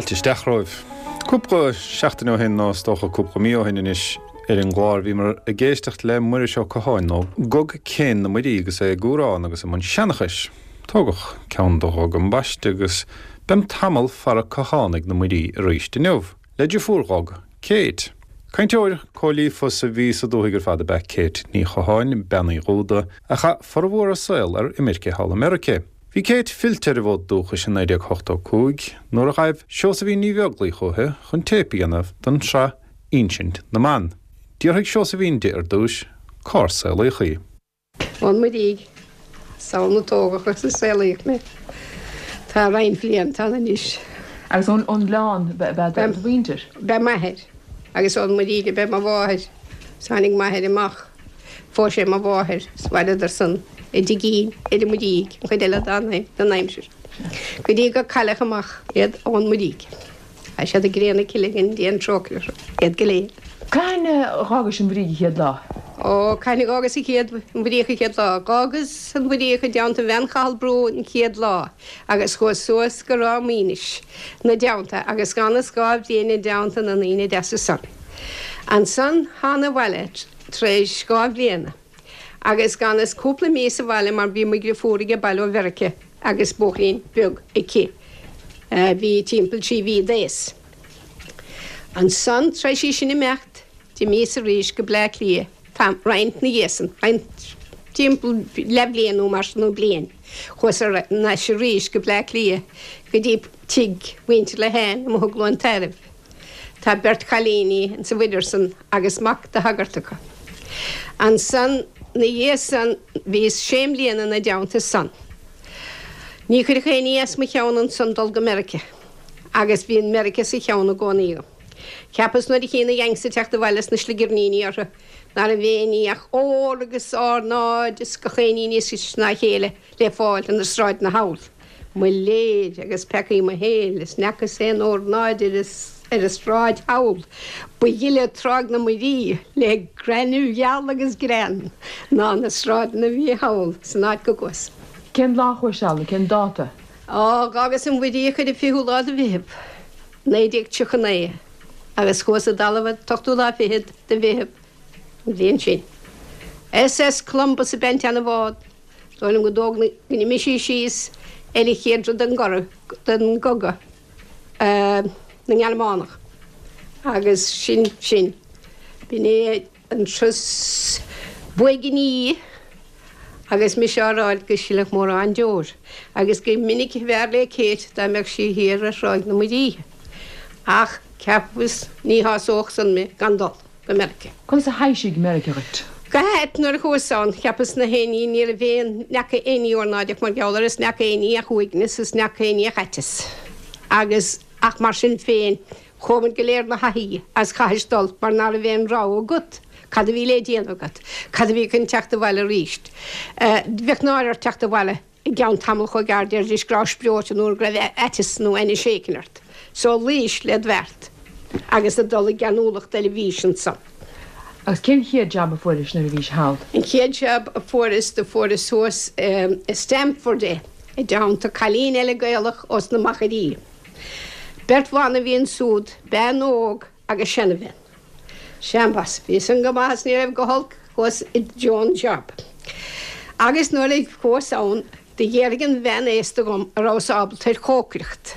Fáilte isteach romhaibh. Cúpla seachtain ó shin, nó is dócha cúpla mí ó shin anois, ar an gclár bhíomar ag éisteacht le Muiris Ó Catháin ó Gog Céin na Muirí agus é ag amhrán agus i mbun seanchais. Tógadh ceann do Ghog ambaiste agus beim tamall fara Cathánaigh na Muirí arís inniu, le deirfiúr Ghog, Kate. Cainteoir chomh líofa is a bhí sa dúthaigh ar fad ab ea Kate Ní Chatháin, Bean Uí Dhúda, a chaith formhór a saol ar imirce thall i Meirice. Bhí Kate fillte ar an bhfód dúchais i 1985 nuair a ghaibh Seosaimhín Ní Bheaglaoich uaithi chun téip a dhéanamh don tsraith Insint na mBan. D'fhiafraigh Seosaimhín di ar dtús cár saolaíodh í. Ón Muirígh, is ann a tógadh agus a saolaíodh mé. Tá roinnt blianta ann anois. Agus ón nGleann ab ea do mhuintir? B'ea m'athair. Agus ón Muirígh ab ea mo mháthair. Tháinig m'athair amach. Phós sé mo mháthair 's mhaireadar san i dtigín ar an Muirígh an chuid eile den aimsir go dtí gur cailleadh amach iad ón Muirígh. Tá siad i gcré na cille go ndéan trócaire orthu, iad go léir. Cathain a dh'fhágais an Mhuirígh an chéad lá? Ó, cathain a dh'fhágas an chéad, an Mhuiríoch an chéad lá? Dh'fhágas an Mhuiríoch i dteannta bhean Chathail Brú an chéad lá agus chuas suas go Ráth Maoinis 'na dteannta agus dh'fhanas 2 bhliain i dteannta na ndaoine deasa san. Ansan thána abhaile tar éis 2 bhliana agus dh'fhanas cúpla mí sa bhaile mar bhí mo dhriofúr age baile ó Mheirice agus buachaillín beag aici a bhí timpeall 3 mhí d'aos. Ansan tar éis í sin imeacht d'imíos arís go Bleá Cliath tam, roinnt 'na dhiaidh san, roinnt timpeall leathbhliain nó mar sin nó bliain, chuas ar ais arís go Bleá Cliath go dtí tigh mhuintir Lehane amuigh i gCluain Tairbh. Tá beirt chailíní insa mhuirear san agus mac de shagart acu. Ansan 'na dhiaidh san bhíos sé mbliana 'na dteannta san. Ní chuirfeadh aon ní as mo cheann ansan dul go Meirice agus bhí an Meirice sa cheann i gcónaí agam. Cheapas nuair a chínn na Yanks ag teacht abhaile is na sligirníní orthu ná raibh aon ní ach ór agus órnáid is gach aon ní níos deise ná a chéile le fáil ar na sráideanna thall. Mo léir agus peacaí mo shaoil is n'fheacas aon órnáid ar an sráid thall. Ba ghile Tráigh na Muirí le gaineamh gheal agus grean ná na sráideanna a bhí thall san áit go gcuas. Cén lá a chuais sall, cén dáta? Á, dh'fhágas an Mhuiríoch ar an fichiú lá de Mheitheamh, 1939, agus chuas i dtalamh an t-ochtú lá fichead de Mheitheamh an bhliain sin. SS Columbus ab ea an tseana-bhád. Dóigh liom go dtóg na, go n-imigh sí síos ar an chéad rud den gcoradh, den gcogadh na nGearmánach agus sin sin. B'in é an turas b'uaigní agus mise á ráit go silfeadh mórán deor agus gur minic a b'fhearr le Kate dá mbeadh sí thiar ar Thráigh na Muirí. Ach cheapas ní shásódh san mé gan dul. go Meirice. Conas a thaibhsigh Meirice dhuit? Go hait, nuair a chuas ann, cheapas nach aon ní, ní raibh aon, n'fheaca aon ní ornáideach mar gheall air is n'fheaca aon ní ach uaigneas is n'fheaca aon ní ach aiteas. Agus, ach mar sin féin, chuamair go léir 'na thaithí agus chaithis dul mar ná raibh aon rogha agat, cad a bhí le déanamh agat, cad a bhí chun teacht abhaile arís. Bheadh náire ort teacht abhaile. i gceann tamall chomh gearr déarfaidís go rabhais breoite nó go raibh aiteas nó ainnis éicin ort. So luís led bheart agus ag dul i gceanúlacht eile bhís ansan. Agus cén chéad jab a fuairis nuair a bhís thall? An chéad jab a fuaireas do fuaireas thuas i Stamford é, i dteannta cailín eile Gaelach ós na Machairí. Beirt bhan a bhí ansúd, bean óg agus seanabhean. Seambas, bhí san go maith is ní raibh go holc chuas i dtreo an job. Agus nuair a chuas ann do dh'fhiafraigh an bhean aosta dhom a rabhas ábalta ar chócaireacht.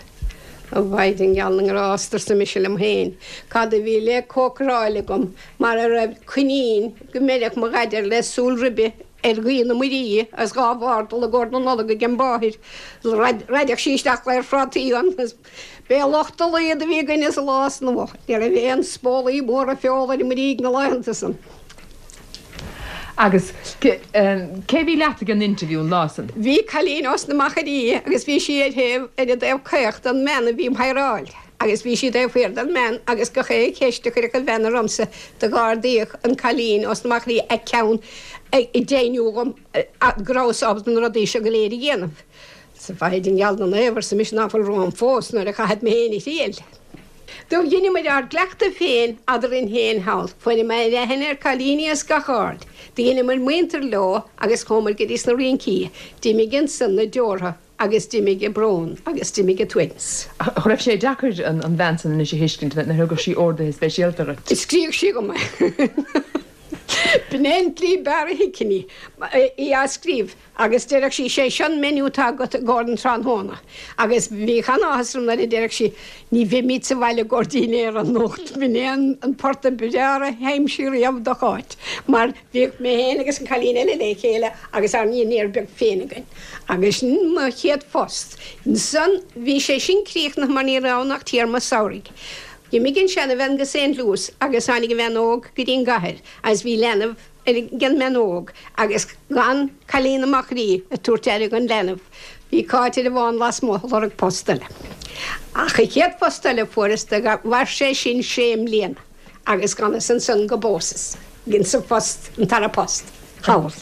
A Mhaighdean gheal na nGrást, arsa mise liom féin, cad a bhí le cócaráil agam mara raibh coinín go mbeireadh mo dhaid air le súil ribe ar ghaoth na Muirí agus dhá bhfardal i gcomhair na Nollag ag an mháthair, raideadh sí isteach glaor phrátaí ann. B'é lucht a laghad a bhí againne sa lá san amuigh. Ní raibh aon spólaí móra feola ar an Muirígh na laethanta san. Agus cé bhí leat ag an interview an lá san? Bhí cailín ós na Machairí agus bhí sí ar thaobh, ar an dtaobh caoch den mbean a bhí um hireáil agus bhí sí taobh thiar den mbean agus gach aon cheist a chuirfeadh an bhean ormsa do dh'ardaíodh an cailín ós na Machairí a ceann ag deimhniú dhom go rabhas ábalta na rudaí seo go léir a dhéanamh. 'S a Mhaighdean gheal na Naomh, arsa mise, ná fuil romham fós nuair a chaithfead mé féin a thriail. Do dheineamair ár gcleachtadh féin eadarainn féin thall. Fuaireamair aithne ar cailíní as gach aird. Do dheineamair muintir leo agus chuamair go dtí sna rincí. D'imigh ansan na deortha. Agus d'imigh an brón agus d'imigh an t-uaigneas. Ach raibh sé deacair an bhean san anois a thuiscint nuair a thugadh sí orduithe speisialta dhuit? Scríobhadh sí dhom é. B'in é an tslí b'fhearr a thuigfinn í, í á scríobh. Agus deireadh sí, 'Sé seo an menu atá agat i gcomhair an tráthnóna. Agus bhíodh an-áthas orm nuair a deireadh sí, 'Ní bheimid sa bhaile i gcomhair dinnéara anocht. B'in é an port a b'fhearr a d'aimsigh riamh do Cháit, mar bhíodh mé féin agus an cailín eile le chéile agus ár ndinnéar beag féin againn. Agus sin mo chéad phost. Ansan bhí sé sin críochnaithe mar ní raibh ann ach téarma samhraidh. D'imigh an seanabhean go Saint Louis agus tháinig an bhean óg go dtí an gcathair agus bhí leanbh ag an mbean óg agus gan cailín i Maigh Rí ag tabhairt aire don leanbh, bhí Cáit ar an bhfán lasmuigh ag lorg post eile. Ach an chéad phost eile a fuaireas do mhair sé sin sé mbliana agus d'fhanas ansan go bpósas, insa phost, an tara post, thall.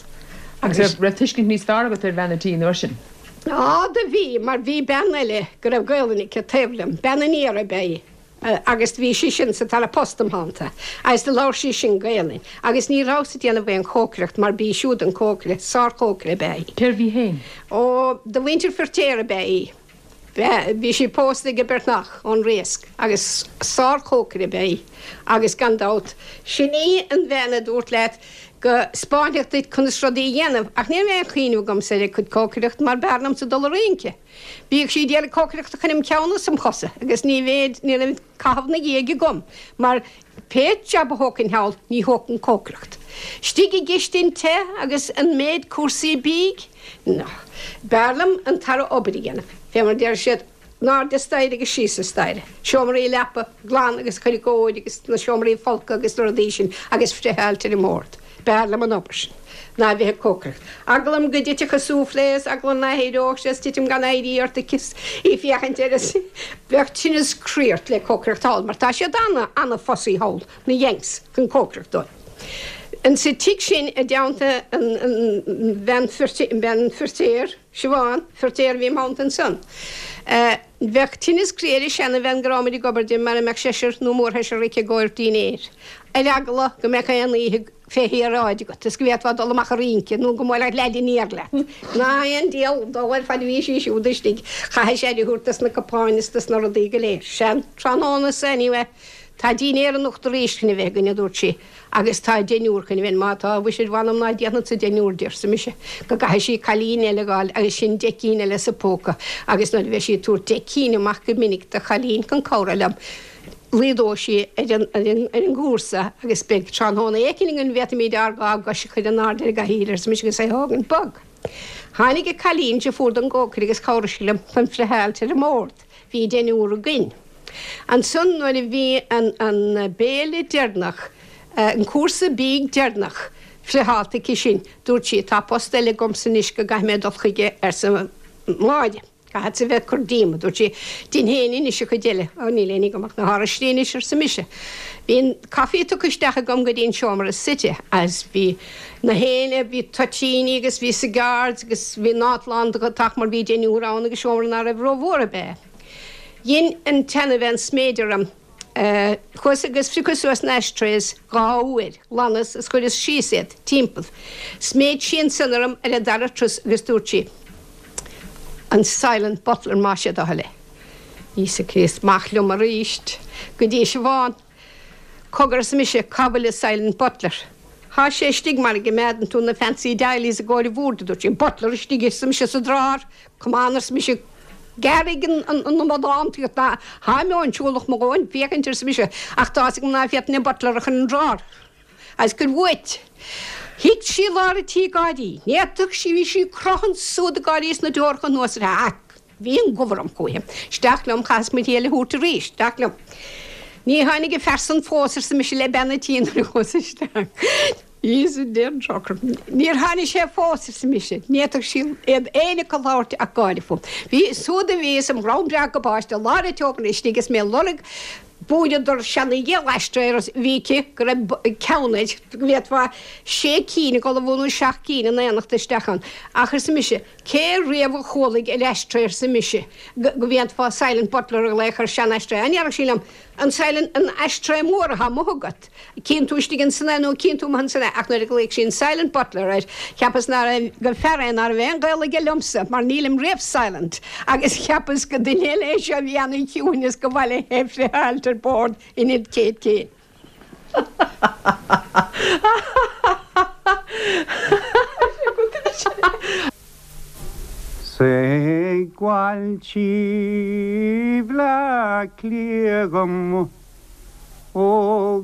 Agus raibh tuiscint níos fearr agat ar bhean a' tí an uair sin? Á, do bhí, mar bhí bean eile go raibh Gaolainn aici taobh liom, bean an Iarthair ab ea í. Agus do bhí sí sin sa tara post im theannta agus do labhair sí sin Gaelainn agus ní rabhas ag déanamh aon chócaireacht mar b'í siúd an cócaire, sár-chócaire ab ea í. Cérbh í féin? Ó, de mhuintir Firtéar ab ea í. Bhí sí pósta ag Breatnach ón Riasc agus sár-chócaire ab ea í agus gan dabht, sin í an bhean a dúirt leat go 'spáinfeadh duit conas rudaí a dhéanamh ach ní raibh aon chuimhneamh agamsa ar a cuid cócaireacht mar b'fhearr liomsa dul a rince. Bhíodh sí ag déanamh cócaireachta chun im cheann is im chosa agus ní bhéad, ní raibh caitheamh 'na dhiaidh agam mar pé jab a thógfainn thall ní thógfainn cócaireacht. Istigh i gcistin te agus an méid cúrsaí bídh, no. B'fhearr liom an tara obair a dhéanamh, fé mar a deir siad, in airde staighre agus síos an staighre, seomraí leapa glan agus cur i gcóir agus na seomraí folctha agus na rudaí sin agus friotháilt ar an mbord. B'fhearr liom an obair sin ná a bheith ag cócaireacht. Eagla orm go dtitfeadh an soufflé is eagla ná héireodh sé is titim gan éirí ort is í féachaint air is bheadh tinneas croí ort le cócaireacht thall mar tá siad ana, ana fussy thall, na Yanks, chun cócaireacht dóibh. Insa tigh sin i dteannta an, an bhean bean Firtéar, Siobhán Firtéar a bhí im theannta ansan. Bheadh tinneas croí ar an seanabhean go rabhamaid ag obair di mara mbeadh seisear nó mórsheisear aici i gcomhair dinnéir, ar eagla go mbeadh aon oíche fé shaoráid agat is go bhféadfá dul amach a rince nó go mbuailfeadh leaid aniar leat. Ná aon diabhal dó ar fad a bhí sí siúd istigh, chaithfeadh sí aire a thabhairt dos na cupáin is dos na rudaí go léir. Sea, an tráthnóna so anyway, tá dinnéar anocht arís chun a bheith againn, a dúirt sí. Agus tá deichniúr chun a bheith, má tá, mhuise mh'anam ná déanfadsa deichniúr di, arsa mise, go gcaithfidh sí cailín eile a dh'fháil agus sin 10 gcinn eile sa phóca agus nuair a bheidh sí ag tabhairt 10 cinn amach go minic do chailín chun cabhrú liom, laghdóidh sí ar an, ar an, ar an gcúrsa agus beidh tráthnóna éicint againn bhféadfaimíd ár dhá gcois a chur in airde ar an gcathaoir, arsa mise agus é thógaint bog. Tháinig an cailín deirfiúr don gcócaire agus chabhraigh sí liom chun friotháilt ar an mbord. Bhí deichniúr againn. Ansan nuair a bhí an an béile deireanach, an cúrsa bídh deireanach friotháilte aici sin, dúirt sí, tá post eile agamsa anois go gcaithfidh mé dul chuige, arsa Máire. Caithfeadsa bheith ag cur díom, a dúirt sí, dein féin anois an chuid eile. Ó níl éinne agam ach na háraistí anois, arsa mise. Bhí an coffee tugtha isteach agam go dtí an seomra suite agus bhí na héinne, bhí toitíní agus bhí cigars agus bhí an áit lán de dheatach mar bhí deichniúr ann agus seomra ná raibh rómhór ab ea. Dhein an tseanabhean sméid orm. Chuas agus phriocas suas na ashtrays dha uair, ghlanas is chuireas síos iad, timpeall. Sméid sí ansan orm ar an dara turas agus dúirt sí, An silent butler más é do thoil é. Íosa Críost, amach liom aríst go dtí Siobhán. Cogar arsa mise, cá bhfuil an silent butler? Thá sé istigh mar a gcimeádann tú na fancy doilies i gcomhair an bhoird, a dúirt sí. Butler istigh, arsa mise, sa drár. Come on, arsa mise, gearraigh an amadántaíocht ná tháim siúlach mo dhóthain féachaint, arsa mise, ach tá's agam ná féadfainn an butler a chur in drár. Agus cuir uait. Thit sí i lár an tí ag gáirí. Ní fhéadfadh sí, bhí sí ag croitheadh siúd ag gáirí is na deoracha anuas uirthi. Ach bhí an gobhar orm chúichi. Isteach liom, chaitheas mo thriail a thabhairt arís. Isteach liom. Ní tháinig an fear san fós, arsa mise le bean an tí nuair a chuas isteach. Íosa Dé an trócaire. Níor tháinig sé fós, arsa mise. Ní fhéadfadh sí iad éinne acu labhairt ach gáire fúm. Bhí siúd a bhí is im dhronn breá gabáiste i lár an tseomra istigh is mé ag lorg búireadar seana-ghiall ashtray a bhí aici go raibh ceann air go bhféadfá sé cinn ag ullmhú nó seacht gcinn in éineacht isteach ann. Ach, arsa mise, cé riamh a chualaigh ar ashtray, arsa mise, go bhféadfá silent butler a ghlaoch ar sean-ashtray. An ndéarfadh sí liom? An silent, an ashtray mór atá amuigh agat, cíonn tú istigh ansan é nó cíonn tú amuigh ansan é, ach nuair a ghlaoigh sí an silent butler air, cheapas ná raibh, gur fear é ná raibh aon ghaol aige liomsa, mar nílim riamh silent, agus cheapas gur duine eile é seo a bhí ana-chiúin is gur mhaith léi é friotháilt ar bord in ionad Kate Kane. 'S ag bailtí Bhleá Cliath dhom ó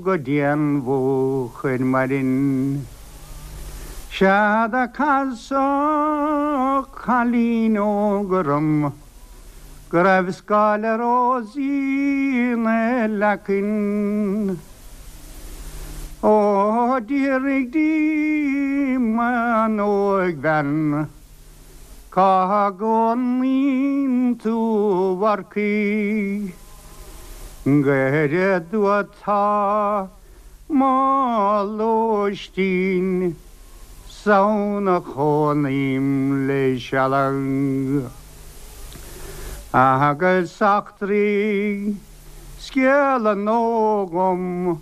go dtí an Mhúch ar maidin. Sea do casadh cailín óg orm go raibh scáile rósaí 'na leacain. Ó d'fhiafraigh díom an óigbhean cá gcónaíonn tú a mharcaigh, Goirid uait tá mo lóistín 's ann a chónaím le sealadh. Agus eachtraigh scéal a gnó dhom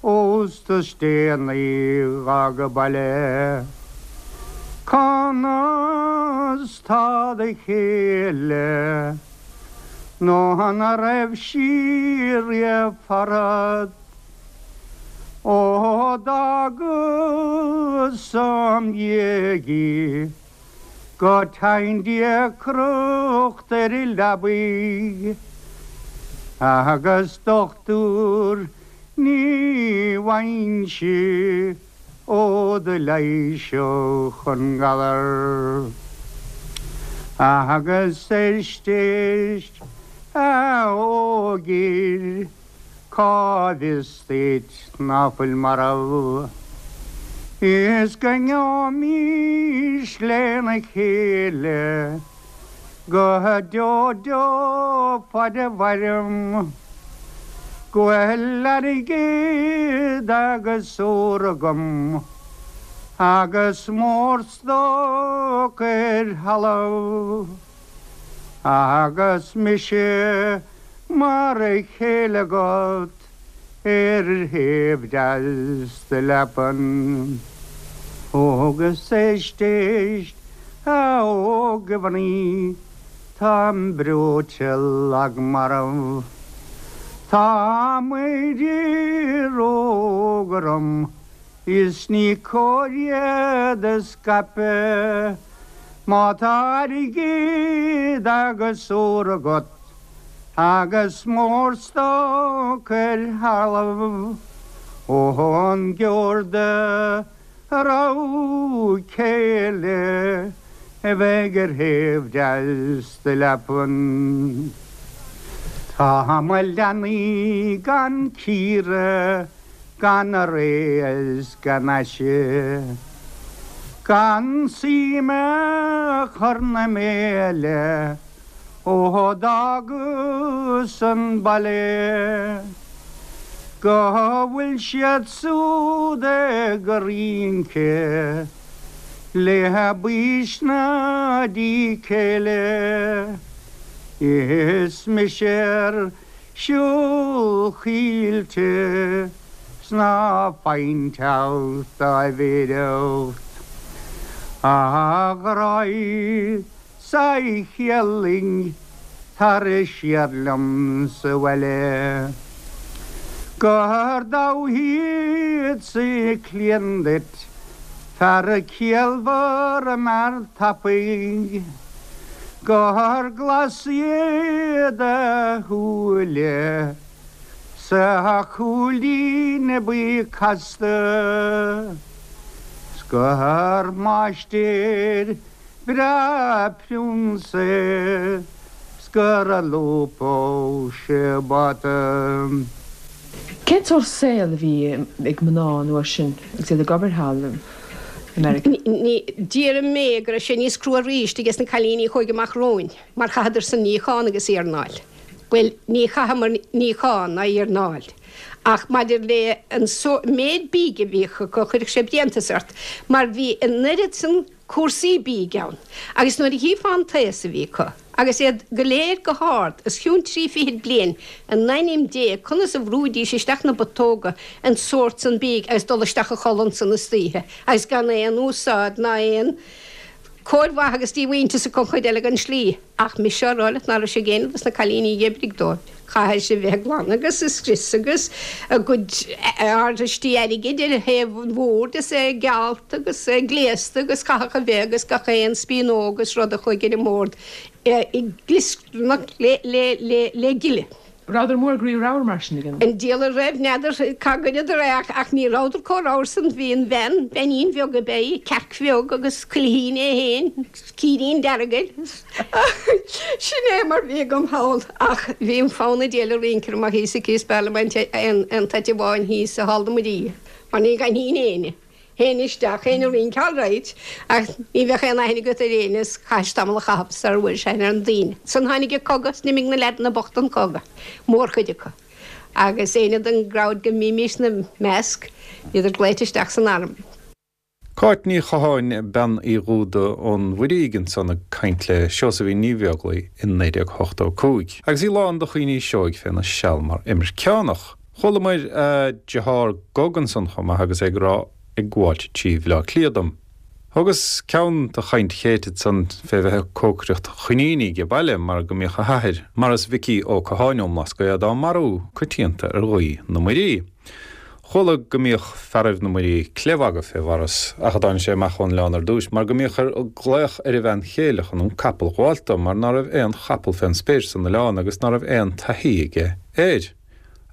ósta is déanaí dh'fhága baile. Conas tá do chéile nó an raibh sí riamh farat? Ó d'fhágas im dhiaidh í go dteighin deacracht ar an leabaidh agus dochtúir ní bhfaighinnse ó do leighisfeadh an galar. Agus éist éist a óigfhir Cá bhfios duit ná fuil marbh? Is go ngeobhaimís lena chéile go deo deo faid a mhairim. Go bhfuil airgead agus ór agam agus mórstoc ar thalamh. Agus mise mar a chéile agat ar thaobh deas do leapan. Agus éist, éist, a óg-mhnaoi, táim breoite lag marbh. Tá mo bhróga orm Is ní cóir iad a scaipeadh má tá airgead agus ór agat agus mórstoc ar thalamh ón gceoir do rogha céile a bheidh ar thaobh deas do leapan. Tá mo leanaí gan cíoradh gan aré is gan aise, gan suim a chur 'na mbéile ó d'fhágas an baile, go bhfuil siad siúd ag rince le baois na dícéille, is mise ar siúl coillte 's ná faighinn teacht dá bhféireacht. A ghráidh 's a chéallaing tar siar liom sa bhaile. Gur damh iad 's cliain duit fear ciallmhar mear tapaidh. Gur glas iad a shúile 's a chúilín buí casta 's gur máistir breá prionsa é 's gur lúbfadh sé bata. Cén sórt saol a bhí ag mná an uair sin agus iad ag obair thall i Meiriceá? Déarfaidh mé go raibh sé níos crua arís ages na cailíní a chuaigh amach romhainn mar chaitheadar san níochán agus iarnáil. Bhuel, ní chaitheamar níochán ná iarnáil ach maidir le an méid bídh a bhíodh acu chuirfeadh sé bréantas ort mar bhí an oiread san cúrsaí bídh ann agus nuair a chífeá an taos a bhí acu. Agus iad go léir go hard os cionn 30 fichid bliain, in ainm Dé, conas a bhrúidís isteach na botóga an sórt san bídh agus dul isteach a chodladh ansan istoíche agus gan aon úsáid ná aon cóir mhaith agus díomhaointeas acu an chuid eile den slí. Ach mise á rá leat ná raibh sé ag éinne dos na cailíní a dh'oibrigh dóibh. Chaithfidh sé bheith ag glanadh agus ag scrios agus a gcuid arraistí airgid ar thaobh an bhoird is é geallta agus é gléasta agus chaithfeadh a bheith agus gach aon spíonóg agus rud a chuaigh ar an mbord ag glioscarnach le gile. Rabhadar mór groí ramhar mar sin ag an. An diabhal a raibh, n'fheadar cá gcuireadar é ach ní rabhadar chomh ramhar san. Bhí an bhean, beainín bheag ab ea í, cearc bheag agus cuilithín é féin, círín dearg air. Sin é mar bhí agam thall. Ach bhí an fonn an diabhail ag rince orm ach thíos aici is b'fhearr liom an t-áit amháin thíos i Hall na Muirí mar ní dh'aithneoinn éinne. Théinn isteach, théinn ag rince alright, ach ní bheadh aon aithne agat ar éinne is chaithis tamall a chaitheamh sara bhfuairis aithne ar na daoine. Ansan tháinig an cogadh is d'imigh na leaideanna bochta an cogadh, mórchuid acu. Agus éinne den gcrowd go mbímís 'na measc, bhíodar glaoite isteach san arm. Cáit Ní Chatháin, Bean Uí Dhúda ón Mhuirígh ansan ag caint le Seosaimhín Ní Bheaglaoi i 1985. Agus í lán de chuimhní seoigh féna seal mar imirceánach. Chualamair a deartháir Gog ansan chomh maith agus é ag rá ag gabháilt trí Bhleá Cliath dom. Thugas ceann de chaint Chéit ansan fé bheith ag cócaireacht choiníní age baile mar go mbíodh a hathair, Maurice Mhicí Ó Catháin ón mBlascaod á marú coitianta ar ghaoth na Muirí. Chuala go mbíodh fearaibh na Muirí cleith-mhagadh fé Mhaurice ach a dtáinig sé amach ón oileán ar dtúis mar go mbíodh air glaoch ar a bhean chéile chun an capall ghabháilt dó mar ná raibh aon chapall fén spéir san oileán agus ná raibh aon taithí aige air.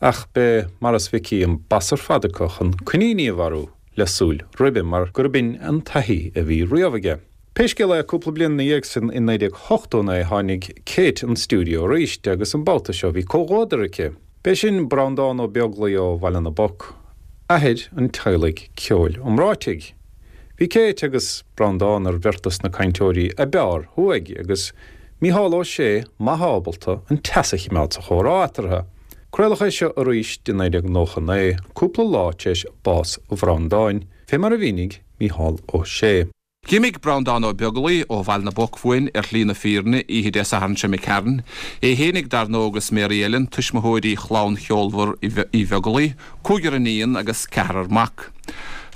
Ach b'é Maurice Mhicí an bas ar fad acu chun coiníní a mharú le súil ribe mar gurb in an taithí a bhí riamh aige. Pé scéal é, cúpla bliain ina dhiaidh sin, i 1989, tháinig Kate 'on stiúideo arís agus an babhta seo bhí comhluadar aici. B'é sin Breandán Ó Beaglaoi ó Bhaile na bPoc, athair an teaghlaigh ceoil iomráitigh. Bhí Kate agus Breandán ar bheirt dos na cainteoirí a b'fhearr thuaidh agus Mícheál Ó Sé maith ábalta an teas a chimeád sa chomhrá eatarthu. Craoladh é seo arís i 1999, cúpla lá tar éis bás Bhreandáin, fé mar a mhínigh Mícheál Ó Sé. D'imigh Breandán Ó Beaglaoi ó Bhaile na bPoc uainn ar shlí na fírinne oíche Dé Sathairn seo imigh tharainn. É fhéinig dar ndóigh agus Mary Ellen, tuismitheoirí chlann cheolmhar Uí Bheaglaoi, cúigear iníon agus ceathrar mac.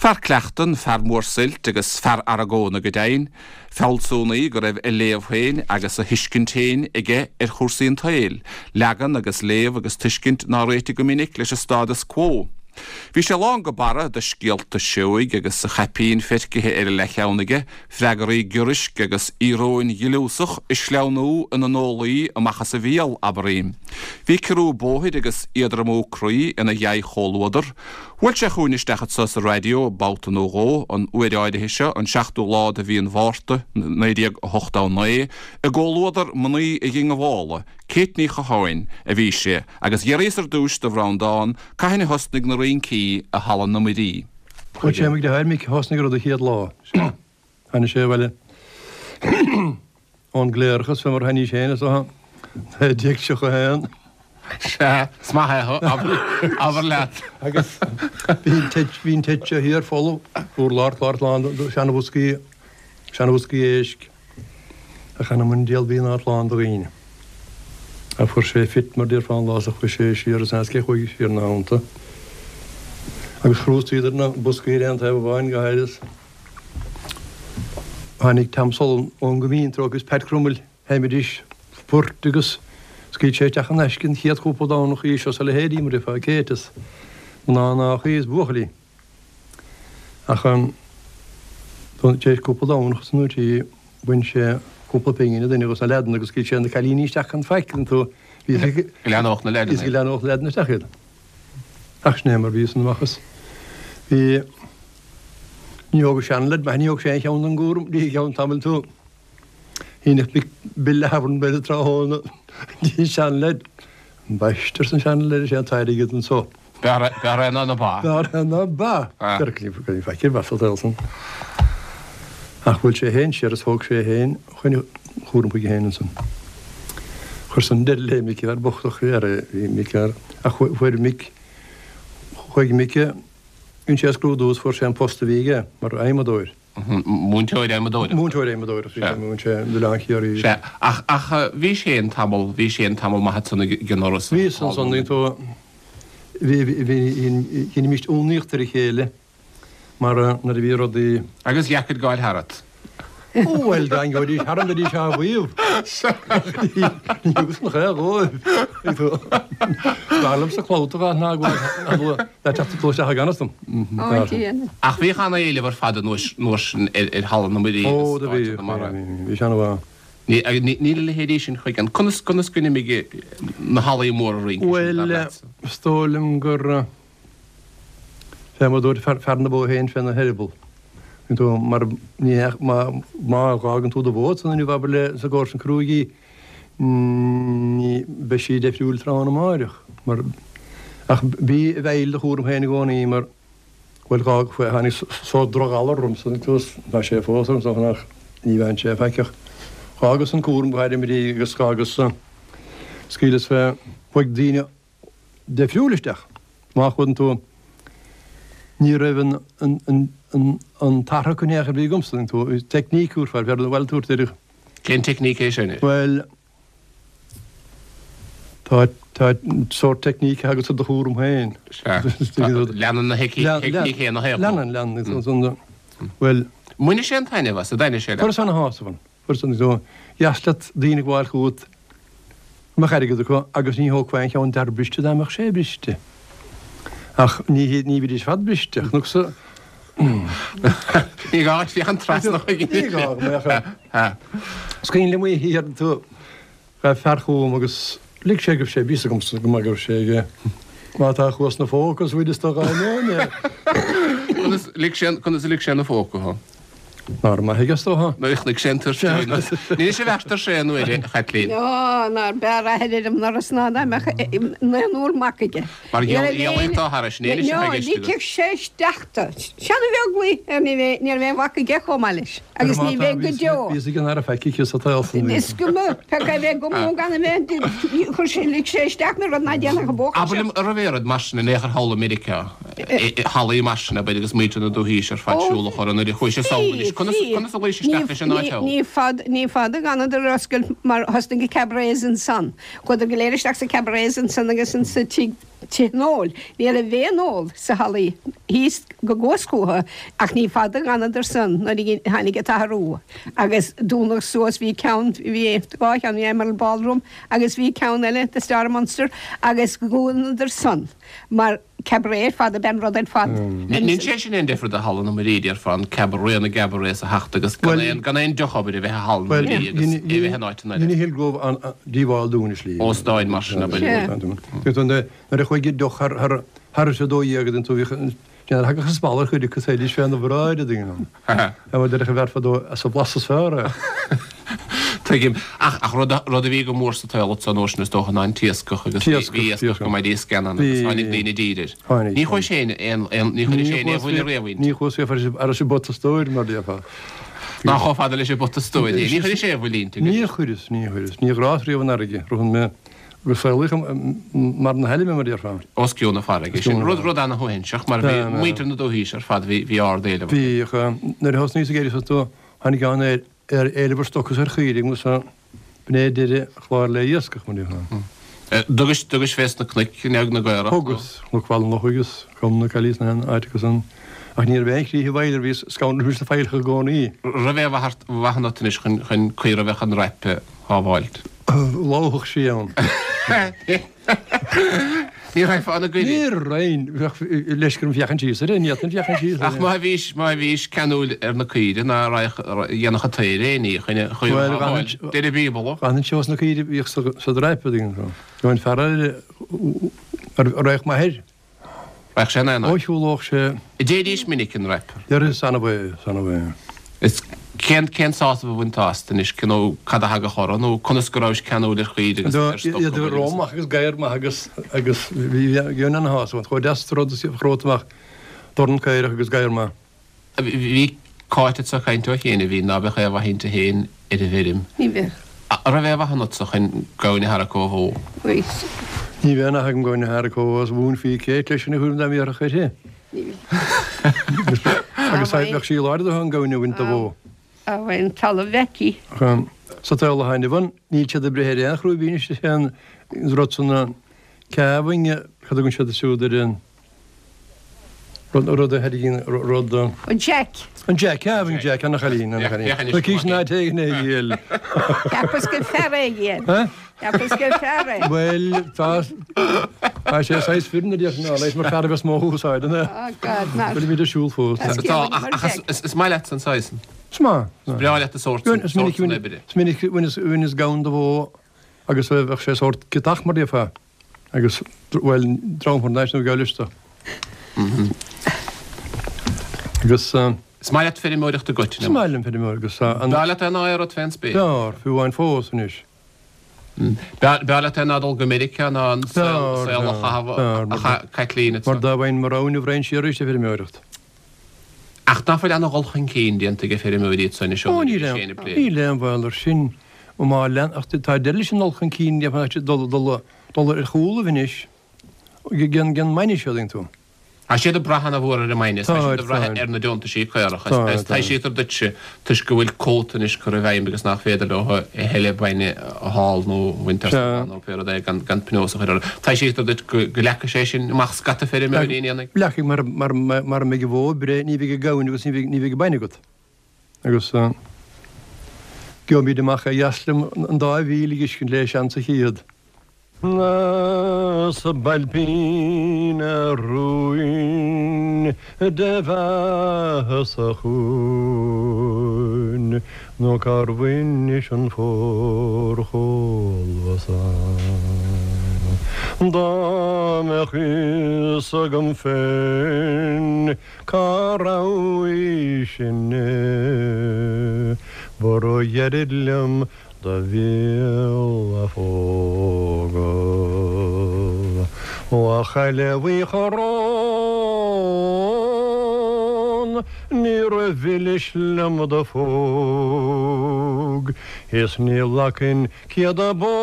Fear cleachtan, fear mór suilt agus fear argóna go deimhin. Fealsúnaí go raibh a léamh féin agus a thuiscint féin aige ar chúrsaí an tsaoil, leagan agus léamh agus tuiscint nár réitigh go minic leis an stádas quo. Bhí sé lán go barra de scéalta seoigh agus a chaipín feircithe ar a leathcheann aige, freagraí giorraisc agus íoróin ghliúsach ag sleamhnú ina n-olaí amach as a bhéal, abraím. Bhí ciorrú bóthair agus éadromú croí ina dhea-chomhluadar. Bhuail sé chugainn isteach anso sa raidió babhta nó dhó, an uair áirithe seo, an seachtú lá de mhí an Mhárta, 1989, i gcomhluadar mnaoi dhiongbhála, Kate Ní Chatháin, a bhí sé, agus d'fhiafraíos ar dtúis de Bhreandán cathain a thosnaigh na rincí i Halla na Muirí. Bhuel, sé mo dheartháir Mick a thosnaigh an rud an chéad lá. Tháinig sé abhaile ón gcléireachas fé mar a tháinig sé féin is dócha, 1931. Sea, is maith é, abair leat. Agus bhí an teach, bhí an teach seo thiar folamh, urlár, clár lán de sheanabhoscaí, seanabhoscaí éisc, ach anam an diabhail bhí an áit lán de dhaoine. Ach fuair sé fit mar déarfá an lá so chuaigh sé siar is as cé chuaigh siar ina theannta. Agus chrústaíodar na boscaí ar aon taobh amháin go háirithe. Tháinig Tom Sullivan ón gCoimín tráth agus Pat Crummell, sheinnidís poirt agus scaoil sé isteach in aisce an chéad chúpla Domhnach í seo is a leithéidí mar a déarfá Kate is mná náchaí is buachaillí. Ach tar éis cúpla Domhnach is nó trí bhain sé cúpla pingin an duine dos na leaideanna agus scaoil sé na cailíní isteach gan faic iontu. Go leathnódh na leaideanna. Go leathnódh na leaideanna isteach iad. Ach sin é mar bhí san amach is bhí. Ní thógadh seanleaid maith, ní thóg sé aon cheann den gcúram, ní i gceann tamaill tú. Shíneadh Mick bille Thabharn b'fhéidir tráthnóna dtí an seanleaid. Ambaiste, arsa an seanleaid, is é an t-airgead anso. B'fhearr é ná na ba. B'fhearr é ná ba. Ní faic ar mhaith sa tsaol san. Ach bhuail sé féin siar is thóg sé féin chuin chúram chuige féin ansan. Chuir san deireadh le Mick, fear bocht ach bhí Mick ach fuair Mick, chuaigh Mick, Dhein sé a scrúdú is fuair sé an post a bhí aige mar adhmadóir. Múinteoir adhmadóireachta. Múinteoir adhmadóireachta, bhí sé, mhúin sé i gCoileán Chiarraí. Sea, ach, ach bhís féin tamall, bhís féin tamall maith ansan ag an Fhoras. Bhíos ansan, bhí tú, bhí, bhí, dheinimíst ionadaíocht ar a chéile mar nuair a bhí rudaí. Agus dheacair gabháil tharat. Ó bhuel, dá ngabhaidís tharam bheidís á mhaíomh. Ní thugas an chaoi dhóibh. B'fhearr liomsa clabhta a fháil ná gabháil le teacht ag dul isteach i gan fhios dom. Ach bhíodh an-éileamh ar fad an uair sin ar Halla na Muirí agus áiteanna mar a. Ó, do bhí, bhí sé an-mhaith. Níl a leithéidí sin chuige. Conas, conas go n-imigh na hallaí móra rince sin, dar Bhuel, leatsa? is dóigh liom gur. Fé mar a dúirt fear na bó féin féna heireaball. Tú mar ní hea má má dh'fhágann tú do bhó ansan inniu abair le sa gcomharsan cruaidh í ní beidh sí deifriúil tráthnóna amáireach mar ach bí i bhfeighil do chúram féin i gcónaí mar bhuel dh'fhág tháinig sórt drochghalar ormsa agus tá sé fós orm is dócha ach ní bheann sé faic ach dh'fhágas an cúram go háirithe agus dh'fhágas scaoileas fé chuaigh daoine deifriúil isteach. Má chuireann tú, ní raibh an, an, an, an, an t-athrach in aon chor a bhí agamsa, tú, teicníc úr far, bhuel, tabhairt ar. Cén teicníc é sin? Bhuel, tá, tá sórt teicníc agatsa do chúram féin. Sea. Leanann na teicníc chéanna a Leanann, leanann. Bhuel. Mbaineadh sé an-taitneamh as, an dtaitneodh sé leat? Fuaireas ana-shásamh ann. Fuaireas an dheas leat daoine ag gabháil chugat go mbeadh airgead acu agus ní thógfá aon cheann d'fhear briste dá mbeadh sé briste. Ach ní ní bhídís ar fad briste. Chonac-sa. Ní gá duit féachaint trasna chuige. Ní gá go mbeadh. Is cuimhin liom oíche ar tú. Ghabh fear chugam agus lig sé go raibh sé, bhí fhios agamsa go maith go raibh sé aige. Má tá chuas 'na phóca is bhfuil is do ghaibh é. Conas lig sé, conas a lig sé 'na phóca thú? Nár maith aige is dócha. Nuair a chonaic sé an tuirse. Níl sé bheart ar sé an uair, a Chaitlín. Ó, nár b'fhearr athair ar an ndoras ná dá mbeadh naonúr mac aige. Mar gheall atá thairis, níl sé i gceist agat. Ligfeadh sé isteach do. Seán Ó Beaglaoich, ní raibh aon mhac aige chomh maith leis. Agus ní bheidh go deo. Bhí fhios ag an Aire faic aici sa tsaol san. Is cuma, pé acu a bheith agam nó gan a bheith, chuir sé, lig sé isteach mé rud ná déanfadh an buachaill Abair seo. liom, an raibh aon rud mar sin in aon chor thall i Meiriceá, hallaí mar sin, abair, agus muintir na dúthaoise ar fad siúl a chur nuair a chuaigh sé sall anois, conas, conas a luigh sé isteach leis an áit thall? Ní fada, ní fada d'fhanadar ar oscailt mar thosnaigh na cabarets ansan. Chuadar go léir isteach sa cabarets ansan agus insa tigh. tithe an óil. Ní raibh aon ól sa hallaí thíos go gcuas chúthu ach ní fada dh'fhanadar san nuair a tháinig an t-athrú agus dúnadh suas, bhí ceann, bhí dá cheann, bhí Emerald Ballroom agus bhí ceann eile, The Star of Munster agus dhúnadar san mar cabaret ar fad ab ea an rud ar fad. Níl sé sin aon difear do Halla na Muirí, déarfá, an cabaret, na gcabarets a theacht agus gan aon, gan aon deoch abair a bheith i Halla na Muirí agus é a bheith in áiteanna eile. Dhein Hillgrove an-díobháil dúinn i slí. Óstáin mar sin abair. Nuair a chuaigh an deoch thar thar a 12 den tú bhíodh déanamh thagadh an spalladh chuid acu théidís féna bhráid a daoine. Mar deireadh an bhfear fadó as a bhlas is fearr é. Tuigim. Ach ach rud a rud a bhí go mór sa tsaol ansan uair sin is dócha ná an t-iascach agus bhí bhí iascach go maith iasc ann agus tháinig daoine i dtír air. Tháinig. Ní chuaigh sé aon aon ní chuir sé aon bhuille riamh inti. Ní chuas sé thar an bpota stóir mar déarfá. Ná chomh fada leis an bpota stóir é. Ní chuir sé aon bhuille inti. Níor chuireas, ní chuireas. Ní ghrás riamh an fharraige. Ritheann mé Go saolaíoch mar na hailme, mar déarfá. Os cionn na farraige. Sin rud, rud ana-shuaithinseach mar bhí muintir na dúthaoise ar fad, bhí, bhí ard-éileamh orthu. Bhí, nuair a thosnaíos ag éirí suas do, tháinig an ar, ar éileamh ar stoc is ar chaoirigh agus b'in é deireadh an chláir le iascach, mar déarfá. Thugais, thugais fés na cnoic, an na gcaorach? Thugas, Cnoc Bhaile an Lochaigh agus Com na Caillí is na háiteacha san, ach ní raibh aon chrích i bhfeighil, bhíos scanraithe sna faillíocha i gcónaí. Raibh aon mhaith mhaith ionat anois chun, chun caora a bheadh an roip a shábháilt? Lobhadh sí ann. Ní raghfá ina goile. Ní raghainn. Bheadh leisce orm féachaint síos uirthi. Ní fhéadfainn féachaint síos uirthi. Ach má bhís, má bhís ceanúil ar na caoire ná raghadh, dhéanfadh an t-aer aon ní chun an chaora a shábháil. Deir an Bíobla. D'fhanfainn os na caoire a bhíodh sa dreip, a dtuigeann tú. Gheobhainn fear eile a raghadh maith air. Raghadh sé in aon áit. Ó shiúlódh sé. An dtéidís minic an roip. Deir is annamh é, is annamh é. Is cén, cén sásamh a bhainteá astu anois, nó cad a thagadh orthu, nó conas go rabhais ceanúil ar chaoire agus ar stoc Iad agus. ró maith agus gadhar maith agus, agus bhí, bhí ana-shásamh ann. Chomh deas rud is a amach dorn caorach agus gadhar maith. Bhí Cáit anseo ag caint ó chian a bhí ná beadh aon mhaith inti féin ar an bhfeirm. Ní bheadh. An raibh aon mhaith ionatsa chun gamhain a tharrac ó bhó? Bhí. Ní bheadh aon mhaith agam gamhain a tharrac ó bhó is mhúinfí Kate leis sin a thuairim dá m'iarrfadh uirthi. Ní bhí. Agus bheadh sí láidir do an gamhain a bhaint de bhó. An talamh aici. Sa tsaol atá inniu ann, níl siad ag breith ar aon chrúibín is é an rud san an calving, cad a thugann siad siúd ar an rud a thairgíonn rud. An jack. An jack, calving jack, ana chailín, ana chailín. Tá cís ná téigh na ghiall. Cheapas gur fear é iad. Cheapas gur fear é. Bhuel, tá tá sé saghas fireann a déarfainn ná leis mar fear a bheas mó úsáid ina. Oh God, mar. Fuilimid ar siúl fós. Tá, ach is maith leat an saghas. Is maith. Is breá leat an sórt sin, sórt sin oibre. Is minic bhaineas gamhain de bhó agus bheadh sé sórt ciotach mar déarfá agus bhuel dream thar n-ais nó gabh leis do. Agus. Is maith leat feirmeoireacht i gcoitinne. Is maith liom feirmeoireacht agus an. B'fhearr leat é ná aon rud fén spéir. B'fhearr, fiú amháin fós anois. B'fhearr leat é ná dul go Meiriceá ná an saol a chaitheamh a chaith Caitlín anso. Mar dá bhfaighinn mo rogha inniu raghainn siar arís ag feirmeoireacht. Ach ná fuil ana dhul chun cinn déanta ag feirmeoirí anso anois ó nuair a bhí Shane ag plé. Níl aon bhaol ar sin. Má lean, ach tá deireadh leis an dul chun cinn, déarfainn, dul ar chúlaibh anois. Gan mbainne seo, an dtuigeann tú. Tá siad ag brath ana-mhór ar an mbainne, tá siad ag brath ar na deontaisí caorach agus taibhsítear duitse toisc go bhfuil cuóta anois curtha i bhfeidhm agus nach féidir leo a thuilleadh bainne a fháil nó a bhaint as na ba nó pé rud é gan pionós a chur orthu. Taibhsítear duit go leagfaidh sé sin amach scata feirmeoirí ní dhéanfaidh? Leagfaidh mar mara mbeidh an bhó ag breith ní bheidh an gamhain agus ní bheidh an bainne agat. Agus gheobhaimid amach é dheas liom an dá mhíle a dh'fheiscint le seans a chéad. A Spailpín a rúin de bheatha sa chúin nó cár bhainis an forchomhla san? Dá mbeadh fhios agam féin cá raibh í sin ba ró-ghairid liom Do bhéal a phógadh. Ó a chaile bhuí choróin, níor mhilis liom do phóg, is ní ghlacfainn 100 bó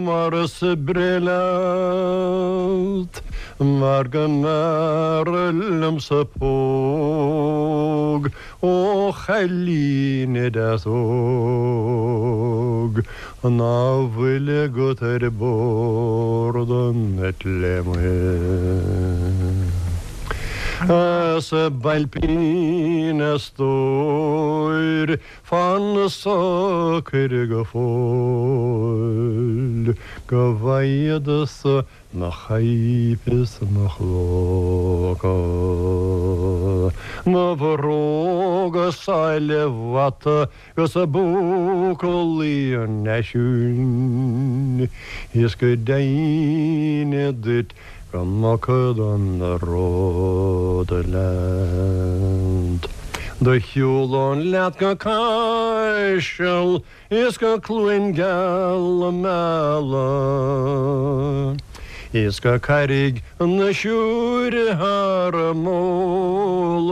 mar is breith leat, mar go mb'fhearr liomsa póg. Ó chailín deas óg ná fuil agat ar bord an eite amuigh. A Spailpín a stóir fan socair go fóill go bhfaighead-sa Mo chaidhp is mo chlóca, mo bhróga sáile bhata 'gus búclaí an fhaisiúin, is go deimhin duit go mbogfad an ród leat. Do shiúlóinn leat go Caiseal Is go Cluain Geal Meala Is go Carraig na Siúire thar m'eolas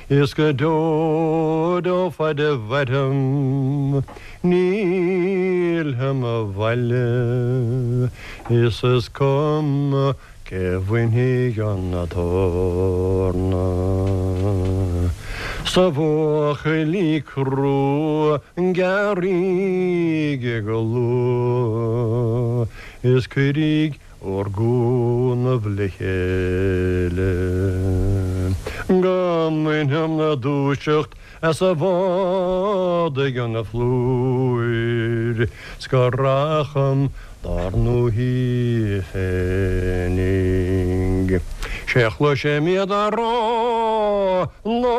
Is go deo deo faid a mhairim níl mo bhaile Is is cuma Cé bhainfidh an t-eorna 's a bhuachaillí crua gearraigí go luath is cuiríg bhur gcúnamh le chéile go mbainfeam na dúiseacht As a bhád ag an phlúir 's go racham dár ndúthaigh féinig. Sé chloisim iad a rá ná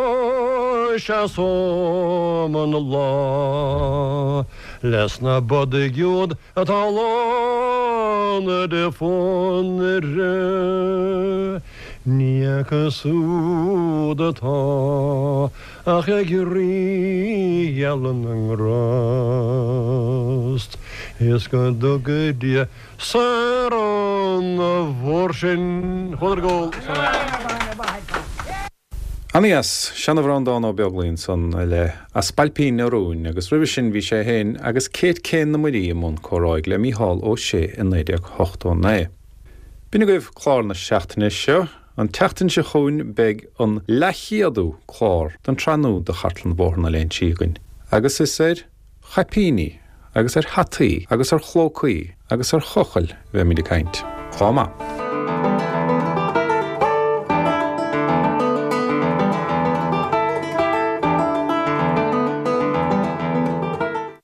seasóm an lá les na bodaigh úd atá lán de phónaire. Ní acu súd atá ach ag Rí gheal na nGrást is go dtuga Dia saor ón bhfuar sinn. Chuadar ag ól. Ana-dheas, seanamhrán Dan Ó Beaglaoi ansan le A Spailpín a Rúin agus roimhe sin bhí sé féin agus Kate Kane na Muirí i mbun comhráidh le Mícheál Ó Sé i 1989. B'in agaibh clár na seachtaine seo. An tseachtain seo chugainn beidh an leathchéadú clár den tsraith nua de Chartlann Bhóthar na Léinsí againn agus is ar chaipíní agus ar hataí agus ar chlócaí agus ar chochaill a bheimid ag caint. Lá maith.